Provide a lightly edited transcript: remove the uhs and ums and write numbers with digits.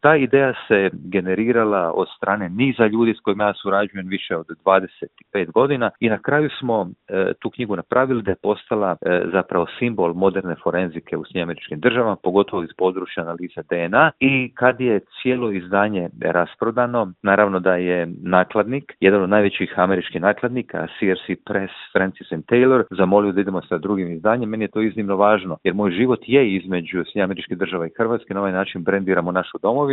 Ta ideja se generirala od strane niza ljudi s kojima ja surađujem više od 25 godina i na kraju smo tu knjigu napravili da je postala zapravo simbol moderne forenzike u SAD-u, pogotovo iz područja analize DNA, i kad je cijelo izdanje rasprodano, naravno da je nakladnik, jedan od najvećih američkih nakladnika, CRC Press, Francis and Taylor, zamolio da idemo sa drugim izdanjem. Meni je to iznimno važno, jer moj život je između SAD-a i Hrvatske, na ovaj način brendiramo našu domovinu